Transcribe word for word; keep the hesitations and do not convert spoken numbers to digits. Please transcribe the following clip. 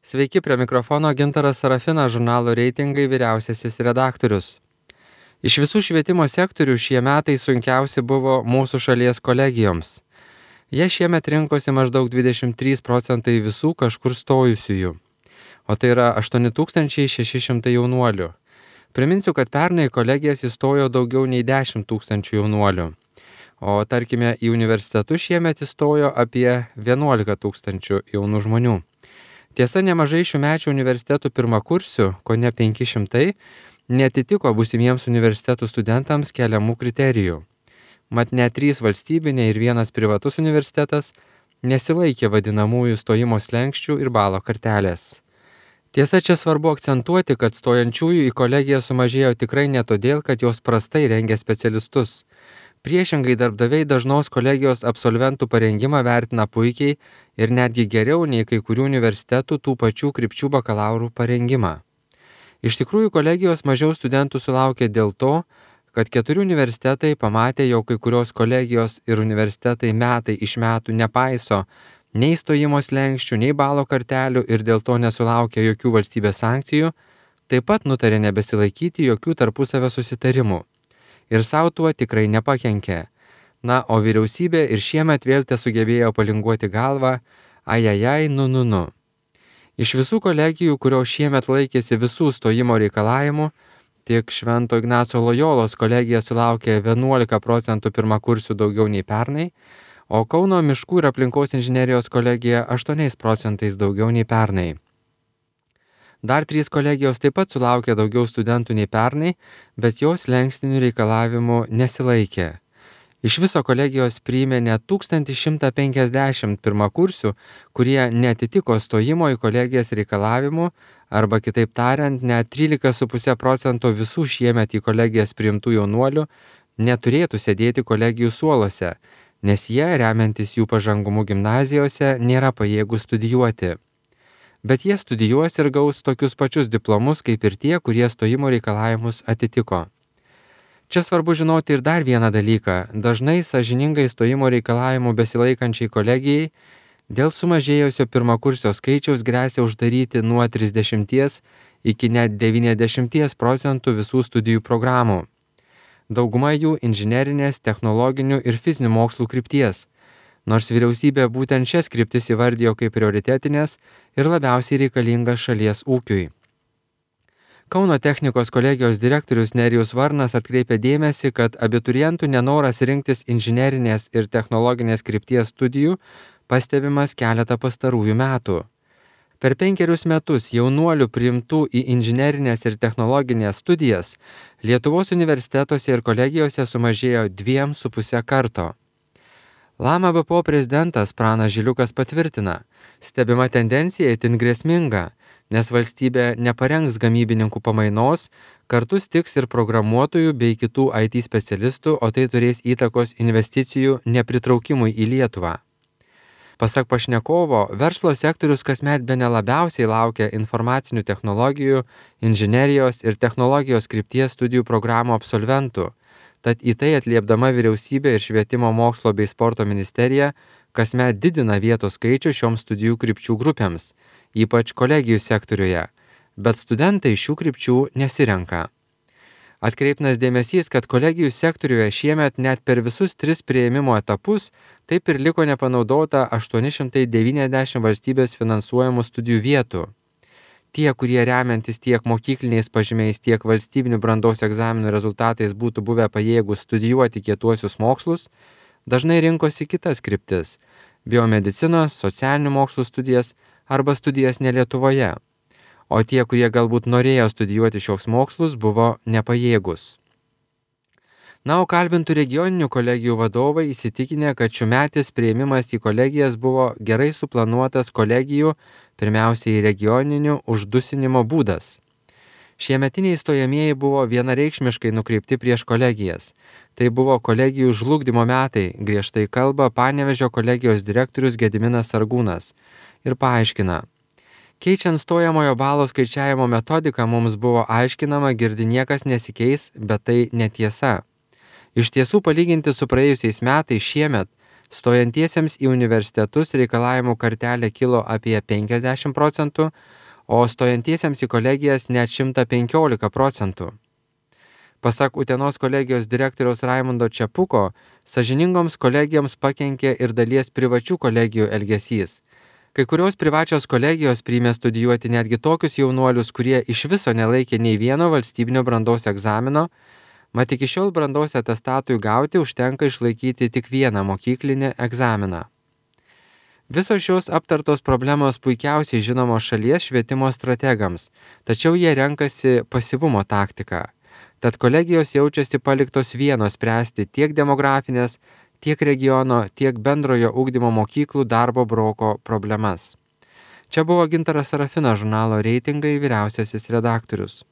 Sveiki, prie mikrofono Gintaras Sarafinas, žurnalo Reitingai vyriausiasis redaktorius. Iš visų švietimo sektorių šie metai sunkiausi buvo mūsų šalies kolegijoms. Jie šiemet rinkosi maždaug dvidešimt trys procentai visų kažkur stojusiųjų, o tai yra aštuoni tūkstančiai šeši šimtai jaunuolių. Priminsiu, kad pernai kolegijas įstojo daugiau nei dešimt tūkstančių jaunuolių, o tarkime į universitetus šiemet įstojo apie vienuolika tūkstančių jaunų žmonių. Tiesa, nemažai šiųmečių universitetų pirmakursių, kone penki šimtai, neatitiko būsimiems universitetų studentams keliamų kriterijų. Mat net trys valstybiniai ir vienas privatus universitetas nesilaikė vadinamųjų stojimo slenksčių ir balo kartelės. Tiesa, čia svarbu akcentuoti, kad stojančiųjų į kolegiją sumažėjo tikrai ne todėl, kad jos prastai rengia specialistus. Priešingai, darbdaviai dažnos kolegijos absolventų parengimą vertina puikiai ir netgi geriau nei kai kurių universitetų tų pačių krypčių bakalaurų parengimą. Iš tikrųjų, kolegijos mažiau studentų sulaukė dėl to, kad keturi universitetai pamatė, jog kai kurios kolegijos ir universitetai metai iš metų nepaiso nei stojimo slenksčių, nei balo kartelių ir dėl to nesulaukė jokių valstybės sankcijų, taip pat nutarė nebesilaikyti jokių tarpusavio susitarimų. Ir savo tuo tikrai nepakenkė. Na, o vyriausybė ir šiemet vėl tesugebėjo palinguoti galvą, ajajai, nu, nu, nu. Iš visų kolegijų, kurios šiemet laikėsi visų stojimo reikalavimų, tik Švento Ignaco Lojolos kolegija sulaukė vienuolika procentų pirmakursių daugiau nei pernai, o Kauno miškų ir aplinkos inžinerijos kolegija aštuoniais procentais daugiau nei pernai. Dar trys kolegijos taip pat sulaukė daugiau studentų nei pernai, bet jos slenkstinių reikalavimų nesilaikė. Iš viso kolegijos priėmė net tūkstantį šimtą penkiasdešimt pirmakursių, kurie neatitiko stojimo į kolegijas reikalavimų, arba kitaip tariant, net trylika su puse procento visų šiemet į kolegijas priimtų jaunuolių neturėtų sėdėti kolegijų suoluose, nes jie, remiantis jų pažangumu gimnazijose, nėra pajėgūs studijuoti. Bet jie studijuos ir gaus tokius pačius diplomus, kaip ir tie, kurie stojimo reikalavimus atitiko. Čia svarbu žinoti ir dar vieną dalyką. Dažnai sąžiningai stojimo reikalavimų besilaikančiai kolegijai dėl sumažėjusio pirmakursio skaičiaus gresia uždaryti nuo trisdešimties iki net devyniasdešimties procentų visų studijų programų. Dauguma jų inžinerinės, technologinių ir fizinių mokslų krypties. Nors vyriausybė būtent šias kryptis įvardijo kaip prioritetinės ir labiausiai reikalingas šalies ūkiui. Kauno technikos kolegijos direktorius Nerijus Varnas atkreipė dėmesį, kad abiturientų nenoras rinktis inžinerinės ir technologinės krypties studijų pastebimas keletą pastarųjų metų. Per penkerius metus jaunuolių priimtų į inžinerinės ir technologinės studijas Lietuvos universitetuose ir kolegijose sumažėjo dviem su puse karto. Lama B P O prezidentas Pranas Žiliukas patvirtina, stebima tendencija itin grėsminga, nes valstybė neparengs gamybininkų pamainos, kartu stigs ir programuotojų bei kitų I T specialistų, o tai turės įtakos investicijų nepritraukimui į Lietuvą. Pasak pašnekovo, verslo sektorius kasmet bene labiausiai laukia informacinių technologijų, inžinerijos ir technologijos krypties studijų programų absolventų. Tad į tai atliepdama vyriausybė ir švietimo mokslo bei sporto ministerija kasmet didina vietos skaičių šioms studijų krypčių grupėms, ypač kolegijų sektoriuje, bet studentai šių krypčių nesirenka. Atkreiptinas dėmesys, kad kolegijų sektoriuje šiemet net per visus tris priėmimo etapus taip ir liko nepanaudota aštuoni šimtai devyniasdešimt valstybės finansuojamų studijų vietų. Tie, kurie remiantis tiek mokykliniais pažymiais, tiek valstybinių brandos egzaminų rezultatais būtų buvę pajėgus studijuoti kietuosius mokslus, dažnai rinkosi kitas kryptis – biomedicinos, socialinių mokslų studijas arba studijas ne Lietuvoje. O tie, kurie galbūt norėjo studijuoti šios mokslus, buvo nepajėgus. Na, o kalbintų regioninių kolegijų vadovai įsitikinę, kad šiųmetis priėmimas į kolegijas buvo gerai suplanuotas kolegijų, pirmiausiai regioninių, uždusinimo būdas. Šiemetiniai stojamieji buvo vienareikšmiškai nukreipti prieš kolegijas. Tai buvo kolegijų žlugdymo metai, griežtai kalba Panevėžio kolegijos direktorius Gediminas Sargūnas ir paaiškina. Keičiant stojamojo balo skaičiavimo metodiką mums buvo aiškinama, girdi niekas nesikeis, bet tai netiesa. Iš tiesų, palyginti su praėjusiais metais šiemet, Stojantiesiems į universitetus reikalavimų kartelė kilo apie penkiasdešimt procentų, o stojantiesiems į kolegijas net šimtas penkiolika procentų. Pasak Utenos kolegijos direktoriaus Raimundo Čepuko, sąžiningoms kolegijoms pakenkė ir dalies privačių kolegijų elgesys. Kai kurios privačios kolegijos priėmė studijuoti netgi tokius jaunuolius, kurie iš viso nelaikė nei vieno valstybinio brandos egzamino, mat iki šiol brandos atestatui gauti užtenka išlaikyti tik vieną mokyklinį egzaminą. Visos šios aptartos problemos puikiausiai žinomos šalies švietimo strategams, tačiau jie renkasi pasyvumo taktiką. Tad kolegijos jaučiasi paliktos vienos spręsti tiek demografinės, tiek regiono, tiek bendrojo ugdymo mokyklų darbo broko problemas. Čia buvo Gintaras Sarafinas, žurnalo Reitingai vyriausiasis redaktorius.